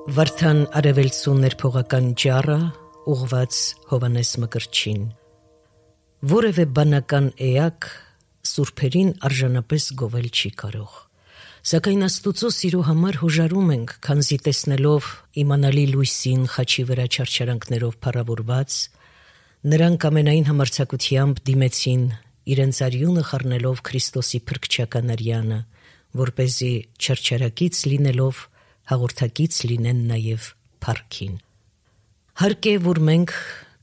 Վարդան արևելցու ներփողական ջառը ուղված Հովանես Մկրտչին Որևէ բանական էակ սուրբերին արժանապես գովել չի կարող, սակայն Աստուծո սիրո համար հոժարում ենք, քանզի տեսնելով իմանալի լույսին խաչի վրա չարչարանքներով փառավորված, նրանք ամենայն համարձակությամբ դիմեցին իրենց արյունը խառնելով Քրիստոսի փրկչական արյանը, որպեսզի չարչարակից լինելով հաղորդակից լինեն նաև փառքին։ Հարկ է, որ մենք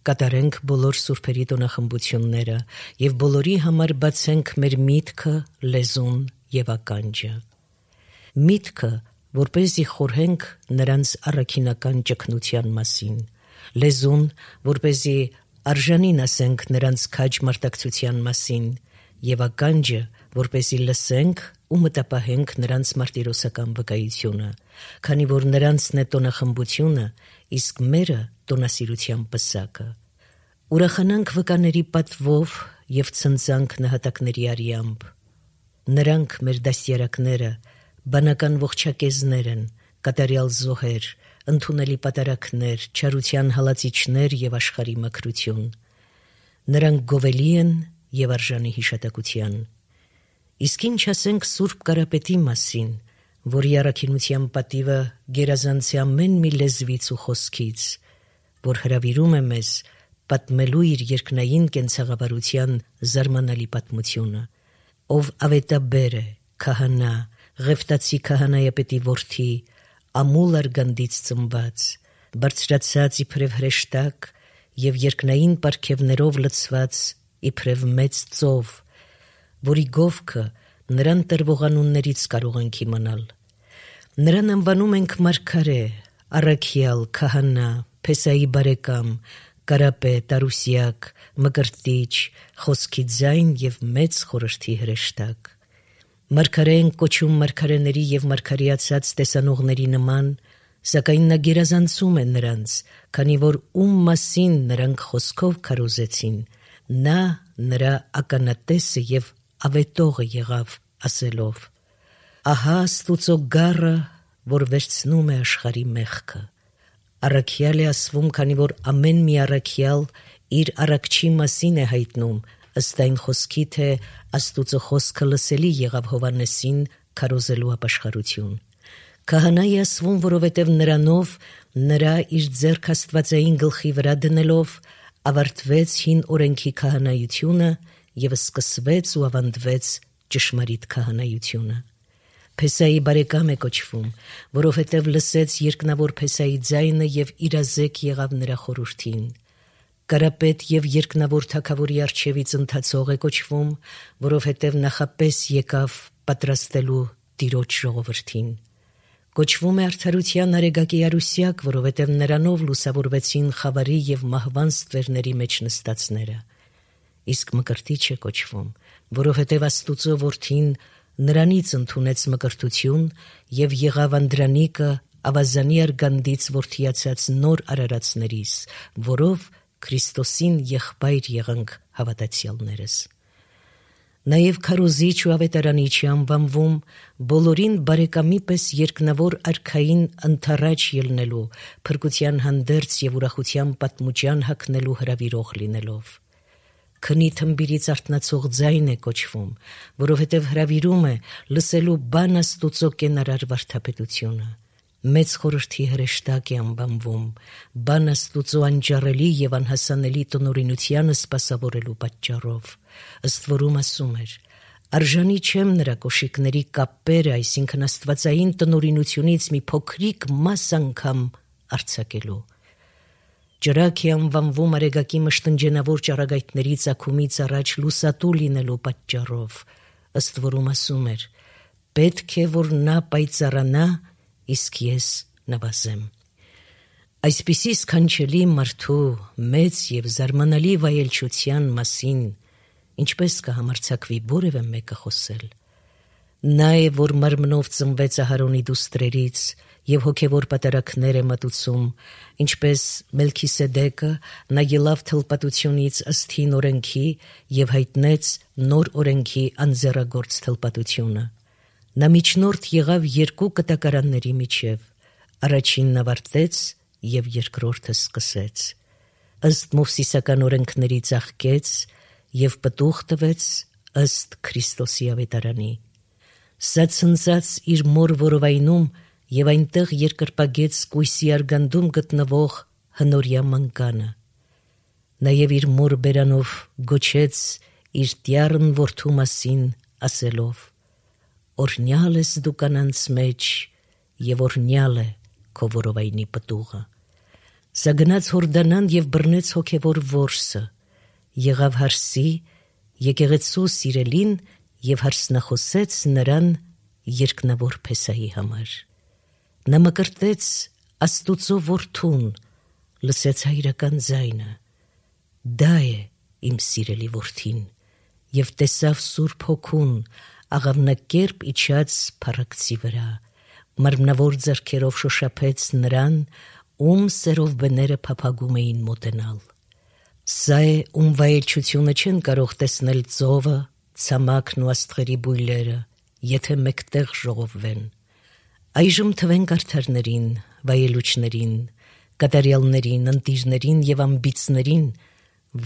կատարենք բոլոր սուրբերի տոնախմբությունները և բոլորի համար բացենք մեր միտքը, լեզուն և ականջը։ Միտքը, որպեսզի խորհենք նրանց առաքինական ճգնության մասին, լեզուն, որպեսզի արժանին ասենք նրանց քաջ մարտակցության մասին, և ականջը, որպեսզի լսենք ու մտապահենք նրանց մարտիրոսական վկայությունը, քանի որ նրանցն է տոնախմբությունը, իսկ մերը տոնասիրության պսակը։ Ուրախանանք վկաների պատվով և ցնծանք նահատակների արյամբ։ Նրանք մեր դաստիարակները, բանական ողջակեզներ են, կատարյալ զոհեր, ընդունելի պատարակներ, չարության հալածիչներ և աշխարհի մքրություն։ Նրանք գովելի են և արժանի հիշատակության։ Իսկ ինչ ասենք Սուրբ Կարապետի մասին, որի առաքինության պատիվը գերազանց է ամեն մի լեզվից ու խոսքից, որ հրավիրում է մեզ պատմելու իր երկնային կենցաղավարության զարմանալի պատմությունը, ով ավետաբեր է, քահանա, Ղևտացի քահանայապետի որդի, ամուլ արգանդից ծնված, բարձրացած իբրև հրեշտակ և երկնային պարգևներով լցված իբրև մեծ ծով, որի գովքը նրան տրվող անուններից կարող ենք իմանալ։ Նրան անվանում ենք մարգարե, առաքյալ, քահանա, Փեսայի բարեկամ, Կարապետ, Արուսյակ, Մկրտիչ, խոսքի ձայն և մեծ խորհրդի հրեշտակ։ Մարգարե են կոչում մարգարեների և մարգարեացած տեսանողների նման, սակայն նա գերազանցում է նրանց, քանի որ ում մասին նրանք խոսքով քարոզեցին, նա նրա ականատեսը և ավետողը եղավ, ասելով. «Ահա Աստուծո գառը, որ վերցնում է աշխարհի մեղքը»։ Առաքյալ է ասվում, քանի որ ամեն մի առաքյալ իր առաքչի մասին է հայտնում, ըստ այն խոսքի, թե Աստուծո խոսքը լսելի եղավ Հովհաննեսին քարոզելու ապաշխարություն։ Քահանա է ասվում, որովհետև նրանով նրա իր ձեռք աստվածային գլխի վրա դնելով ավարտվեց հին օրենքի քահանայությունը և սկսվեց ու ավանդվեց ճշմարիտ քահանայությունը։ Փեսայի բարեկամ է կոչվում, որովհետև լսեց երկնավոր Փեսայի ձայնը և իրազեկ եղավ նրա խորհրդին։ Կարապետ և երկնավոր թագավորի առջևից ընթացող է կոչվում, որովհետև նախապես եկավ պատրաստելու Տիրոջ ժողովրդին։ Կոչվում է արդարության արեգակի Արուսյակ, որովհետև նրանով լուսավորվեցին խավարի և մահվան ստվերների մեջ նստածները։ Իսկ Մկրտիչ է կոչվում, որովհետև Աստուծո որդին նրանից ընդունեց մկրտություն և եղավ Անդրանիկը ավազանի արգանդից որդիացած նոր արարածներիս, որով Քրիստոսին եղբայր եղանք հավատացյալներս։ Նաև քարոզիչ ու ավետարանիչ է անվանվում, բոլորին բարեկամի պես երկնավոր արքային ընդառաջ ելնելու, փրկության հանդերձ և ուրախության պատմուջան հագնելու հրավիրող լինելով։ Քնի թմբիրից արթնացող ձայն է կոչվում, որովհետև հրավիրում է լսելու բան Աստուծո կենարար վարդապետությունը։ Մեծ խորհրդի հրեշտակ է անվանվում, բան Աստուծո անջառելի և անհասանելի տնօրինությանը սպասավորելու պատճառով, ըստ որում ասում էր. «Արժանի չեմ նրա կոշիկների կապերը, այսինքն աստվածային տնօրինությունից մի փոքրիկ մաս անգամ արձակելու»։ Ճրագ է անվանվում արեգակի մշտնջենավոր ճառագայթների ծագումից առաջ լուսատու լինելու պատճառով, ըստ որում ասում էր. «Պետք է, որ նա պայծառանա, իսկ ես նվազեմ»։ Այսպիսի սքանչելի մարդու մեծ և զարմանալի վայելչության մասին ինչպես կհամարձակվի որևէ մեկը խոսել։ Նա է, որ մարմնով ծնվեց Ահարոնի դուստրերից և հոգևոր պատարակներ է մատուցում, ինչպես Մելքիսեդեկը, նա ելավ թլպատությունից ըստ հին օրենքի և հայտնեց նոր օրենքի անձեռագործ թլպատությունը։ Նա միջնորդ եղավ երկու կտակարանների միջև, Առաջինն ավարտեց և երկրորդը սկսեց, ըստ Մովսիսական օրենքների ծաղկեց և պտուղ տվեց ըստ Քրիստոսի ավետարանի։ Սա ցնծած իր մոր որովայնում և այնտեղ երկրպագեց կույսի արգանդում գտնվող հնորյա մանկանը։ Նաև իր մոր բերանով գոչեց իր տյառն որդու մասին ասելով. «Օրհնյալ ես դու կանանց մեջ և օրհնյալ է քո որովայնի պտուղը»։ Սա գնաց Հորդանան և բռնեց հոգևոր որսը, եղավ հարսի, եկեղեցու սիրելին և հարսնախոսեց նրան երկնավոր Փեսայի համար։ Նա մկրտեց Աստուծո որդուն, լսեց հայրական ձայնը. «Դա է իմ սիրելի որդին», և տեսավ Սուրբ Հոգուն աղավնակերպ իջած փառակցի վրա, մարմնավոր ձեռքերով շոշափեց նրան, ում սերով բները փափագում էին մոտենալ։ Սա է, ում վայելչությունը չեն կարող տեսնել ծովը, ցամաքն ու աստղերի բույլերը, եթե մեկտեղ ժողովվեն։ Այժմ թվենք արդարներին, վայելուչներին, կատարյալներին, ընտիրներին և ամբիցներին,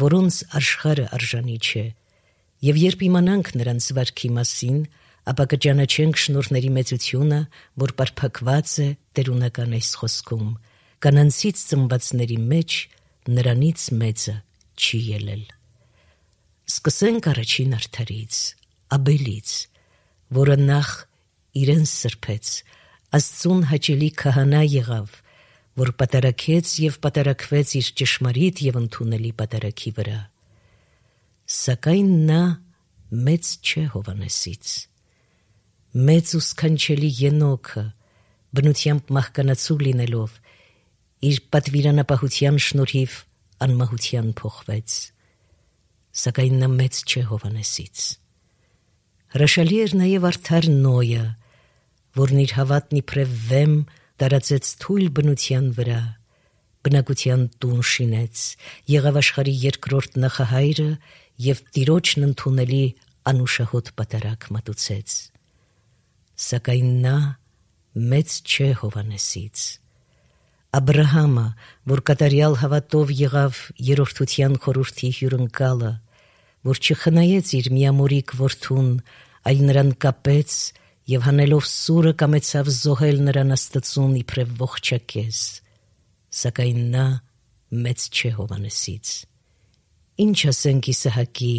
որոնց աշխարհը արժանի չէ, և երբ իմանանք նրանց վարքի մասին, ապա կճանաչենք շնորհների մեծությունը, որ պարփակված է տերունական այս խոսքում. «Կանանցից ծնվածների մեջ նրանից մեծը չի ելել»։ Սկսենք առաջին արդարից, Աբելից, որը նախ իրեն սրբեց, Աստծուն հաճելի քահանա եղավ, որ պատարագեց և պատարագվեց իր ճշմարիտ և ընդունելի պատարագի վրա։ Սակայն նա մեծ չէ Հովհաննեսից։ Մեծ ու սքանչելի Ենոքը, բնությամբ մահկանացու լինելով, իր պատվիրանապահության շնորհիվ անմահության փոխվեց։ Սակայն նա մեծ չէ Հովհաննեսից։ Հրաշալի էր նաև արդար Նոյը, որն իր հավատն իբրև վեմ տարածեց թույլ բնության վրա, բնակության տուն շինեց, եղավ աշխարհի երկրորդ նախահայրը և Տիրոջն ընդունելի անուշահոտ պատարագ մատուցեց։ Սակայն նա մեծ չէ Հովհաննեսից։ Աբրահամը, որ կատարյալ հավատով եղավ երրորդության խորհրդի հյուրընկալը, որ չխնայեց իր միամորիկ որդուն, այլ նրան կապեց և հանելով սուրը կամեցավ զոհել նրան Աստծուն իբրև ողջակեզ, սակայն նա մեծ չէ Հովհաննեսից։ Ինչ ասենք Իսահակի,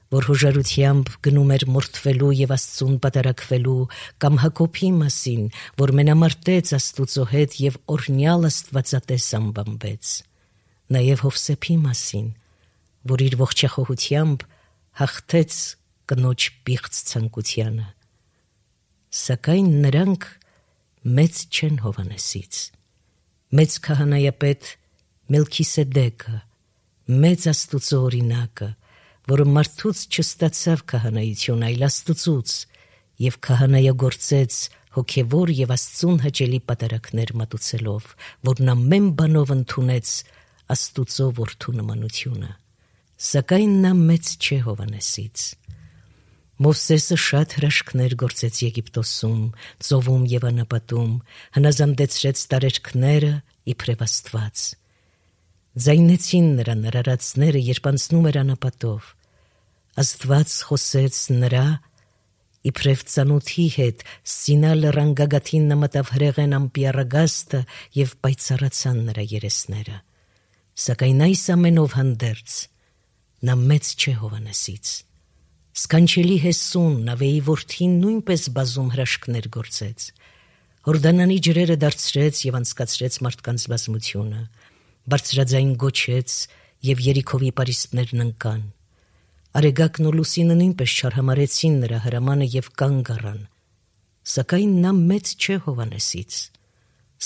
որ հոժարությամբ գնում էր մորթվելու և Աստծուն պատարագվելու, կամ Հակոբի մասին, որ մենամարտեց Աստուծո հետ և օրհնյալ աստվածատես անվանվեց, նաև Հովսեփի մասին, որ իր ողջախոհությամբ հաղթեց կնոջ պիղծ ցանկությանը։ Սակայն նրանք մեծ չեն Հովհաննեսից։ Մեծ քահանայապետ Մելքիսեդեկը, մեծ Աստուծո օրինակը, որը մարդուց չստացավ քահանայություն, այլ Աստծուց, և քահանայագործեց հոգևոր և Աստծուն հաճելի պատարագներ մատուցելով, որն ամեն բանով ընդունեց Աստուծո որդու նմանությունը։ Սակայն նա մեծ չէ Հովհաննեսից։ Մովսեսը շատ հրաշքներ գործեց Եգիպտոսում, ծովում և անապատում, հնազանդեցրեց տարերքները իբրև Աստված։ Ձայնեցին նրան արարածները, երբ անցնում էր անապատով։ Աստված խոսեց նրա իբրև ծանոթի հետ, Սինա լեռան գագաթին նմատավ հրեղեն ամպիառագաստը և պայծառացան նրա երեսները։ Սակայն այս ամենով հանդերձ նա մեծ չէ Հովհաննեսից։ Սքանչելի Հեսուն, Նավեի որդին, նույնպես բազում հրաշքներ գործեց։ Հորդանանի ջրերը դարձրեց և անցկացրեց մարդկանց բազմությունը, բարձրաձայն գոչեց և Երիքովի պարիսպներն ընկան։ Արեգակն ու լուսինը նույնպես չարհամարեցին նրա հրամանը և կանգ առան։ Սակայն նա մեծ չէ Հովհաննեսից։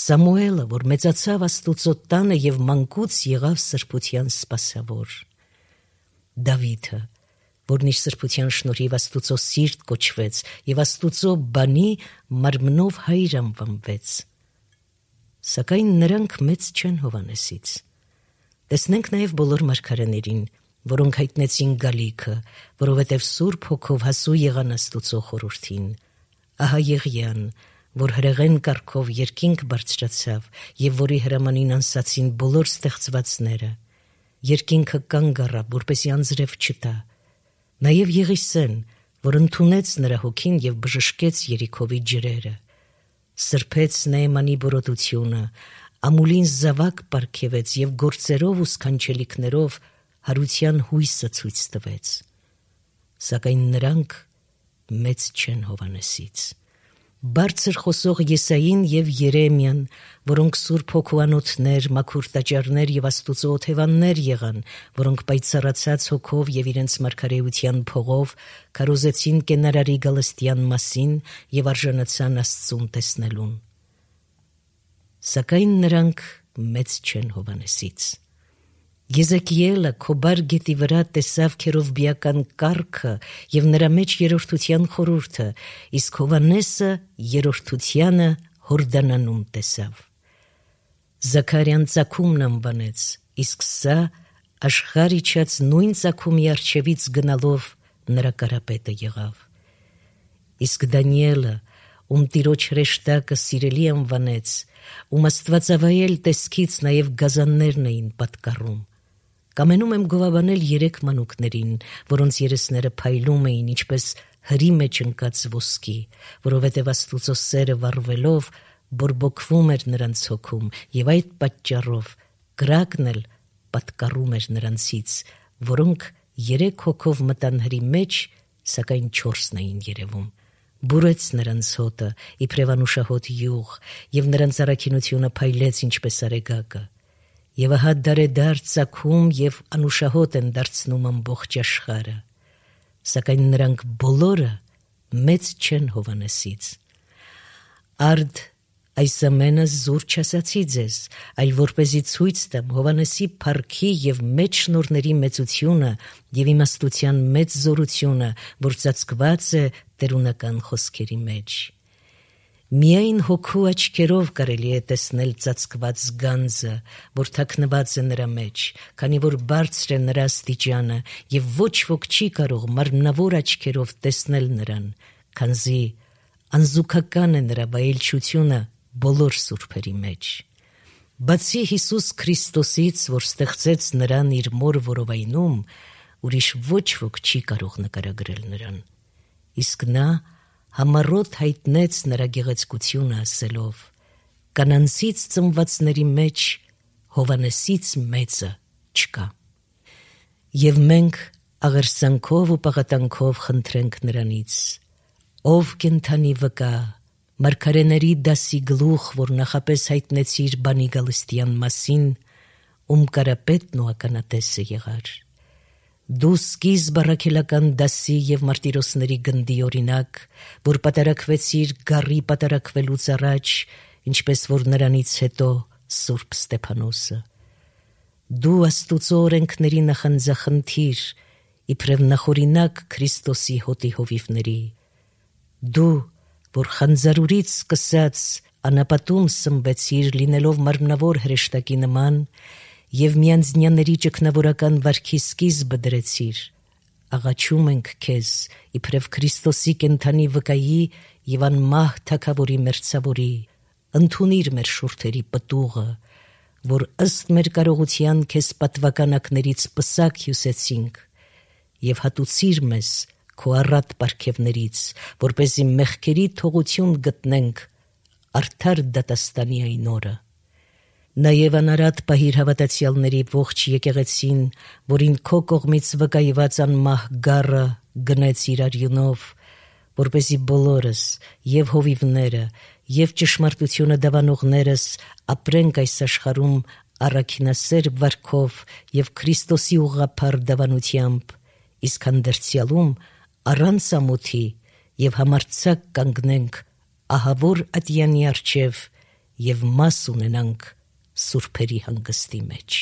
Սամուելը, որ մեծացավ Աստուծո տանը և մանկուց եղավ սրբության սպասավոր։ Դավիթը, որն իր սրբության շնորհիվ Աստուծո սիրտ կոչվեց և Աստուծո բանի մարմնով հայր անվանվեց։ Սակայն նրանք մեծ չեն Հովհաննեսից։ Տեսնենք նաև բոլոր մարգարեներին, որոնք հայտնեցին գալիքը, որովհետև Սուրբ Հոգով հասու եղան Աստուծո խորհրդին։ Ահա Եղիան, որ հրեղեն կարգով երկինք բարձրացավ եւ որի հրամանին անսացին բոլոր ստեղծվածները, երկինքը կանգ առավ, որպեսզի անձրև չտա, նաեւ Եղիսեն, որ ընդունեց նրա հոգին եւ բժշկեց Երիքովի ջրերը, սրբեց Նեեմանի բորոտությունը, ամուլին զավակ պարգևեց եւ գործերով ու սքանչելիքներով հարության հույսը ցույց տվեց, սակայն նրանք մեծ չեն Հովհաննեսից։ Բարձր խոսող Եսային եւ Երեմիան, որոնք Սուրբ Հոգուանոթներ, մաքուր տաճարներ եւ Աստուծո օթևաններ եղան, որոնք պայծառացած հոգով եւ իրենց մարգարեության փողով քարոզեցին կենարարի գալստյան մասին եւ արժանացան Աստծուն տեսնելուն։ Սակայն նրանք մեծ չեն Հովհաննեսից։ Եզեկիելը Քոբար գետի վրա տեսավ քերովբիական կառքը եւ նրա մեջ երրորդության խորհուրդը, իսկ Հովհաննեսը երրորդությանը Հորդանանում տեսավ։ Զաքարյան ծագումն անվանեց, իսկ սա աշխարհ իջած նույն ծագումի առջևից գնալով նրա կարապետը եղավ։ Իսկ Դանիելը, ում Տիրոջ հրեշտակը սիրելի անվանեց, ում Աստվածավայել տեսքից նաեւ գազաններն էին պատկառում։ Կամենում եմ գովաբանել 3 մանուկներին, որոնց երեսները փայլում էին ինչպես հրի մեջ ընկած ոսկի, որովհետև Աստուծո սերը վառվելով բորբոքվում էր նրանց հոգում, եւ այդ պատճառով կրակն էլ պատկառում էր նրանցից, որոնք 3 հոգով մտան հրի մեջ, սակայն 4-ն էին երևում։ Բուրեց նրանց հոտը, իբրև անուշահոտ յուղ, եւ նրանց առաքինությունը փայլեց ինչպես արեգակը։ Եվ ահա դարեդար ծագում եւ անուշահոտ են դարձնում ամբողջ աշխարհը, սակայն նրանք բոլորը մեծ չեն Հովհաննեսից։ Արդ այս ամենը զուր չասացի ձեզ, այլ որպեսզի ցույց տամ Հովհաննեսի փառքի եւ մեծ շնորհների մեծությունը եւ իմաստության մեծ զորությունը, որ ծածկված է տերունական խոսքերի մեջ։ Միայն հոգու աչքերով կարելի է տեսնել ծածկված գանձը, որ թաքնված է նրա մեջ, քանի որ բարձր է նրա աստիճանը եւ ոչ ոք չի կարող մարմնավոր աչքերով տեսնել նրան, քանզի անզուգական է նրա վայելչությունը բոլոր սուրբերի մեջ։ Բացի Հիսուս Քրիստոսից, որ ստեղծեց նրան իր մոր որովայնում, ուրիշ ոչ ոք չի կարող նկարագրել նրան։ Իսկ նա համառոտ հայտնեց նրա գեղեցկությունը ասելով. «Կանանցից ծնվածների մեջ Հովհաննեսից մեծը չկա»։ Եվ մենք աղերսանքով ու պաղատանքով խնդրենք նրանից. «Ով կենդանի վկա, մարգարեների դասի գլուխ, որ նախապես հայտնեցիր բանի գալստյան մասին, ում կարապետն ու ականատեսը եղար։ Դու սկիզբ առաքելական դասի եւ մարտիրոսների գնդի օրինակ, որ պատարակվեցիր գառի պատարակվելուց առաջ, ինչպես որ նրանից հետո Սուրբ Ստեփանոսը։ Դու Աստուծո օրենքների նախանձախնդիր, իբրև նախօրինակ Քրիստոսի հոտի հովիվների։ Դու, որ խանձարուրից սկսած անապատում սնվեցիր, լինելով մարմնավոր հրեշտակի նման, եւ միանձնյաների ճգնավորական վարքի սկիզբը դրեցիր, աղաչում ենք քեզ, իբրև Քրիստոսի կենդանի վկայի եւ անմահ թագավորի մերձավորի, ընդունիր մեր շուրթերի պտուղը, որ ըստ մեր կարողության քեզ պատվականակներից պսակ հյուսեցինք, եւ հատուցիր մեզ քո առատ պարգևներից, որպեսզի մեղքերի թողություն գտնենք արդար դատաստանի այն օրը։ Նաև անարատ պահիր հավատացյալների ողջ եկեղեցին, որին քո կողմից վկայված անմահ գառը գնեց իր արյունով, որպեսզի բոլորս, եւ հովիվները, եւ ճշմարտությունը դավանողներս ապրենք այս աշխարհում առաքինասեր վարքով եւ Քրիստոսի ուղղափառ դավանությամբ, իսկ հանդերձյալում առանց ամոթի եւ համարձակ կանգնենք ահավոր ատյանի առջև եւ մաս ունենանք սուրբերի հանգստի մեջ։